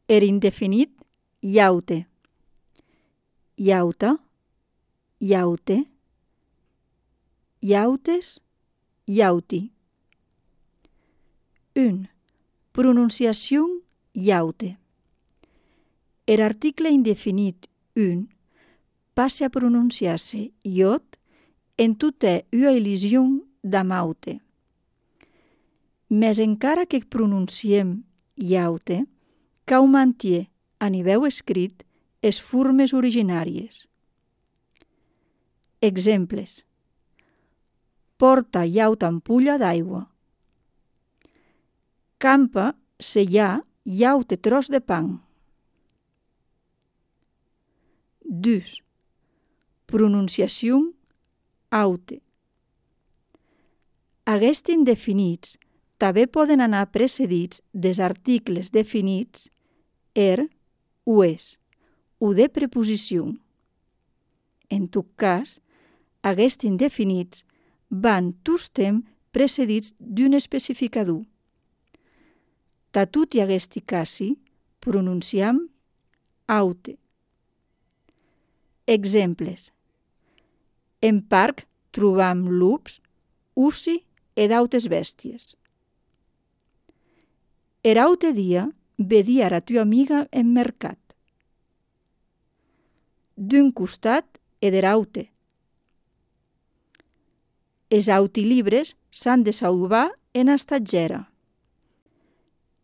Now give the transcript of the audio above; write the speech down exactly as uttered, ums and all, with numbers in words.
Er indefinit iaute. Iauta, iaute, iautes, iauti. un. Pronunciación iaute. Er article indefinit un passe a pronunciar-se iot en tota ua elision d'amaute. Mes encara que pronunciem iaute, cau mantier a niveu escrit es formes originàries. Exemples. Porta iauta ampulla d'aigua. Campa se hi ha iaute tros de pan. dos. Pronunciació aute. Aquests indefinits també poden anar precedits dels articles definits er, ues, o de preposició. En tot cas, aquests indefinits van tots temps precedits d'un especificador. Ta tutti aquesti casi pronunciam aute. Exemples. En parc trobam lups, ussi e d'autes bèsties. Er aute dia vedi ara tua amiga en mercat. D'un costat e der aute. Es autilibres s'han de salvar en estatgera.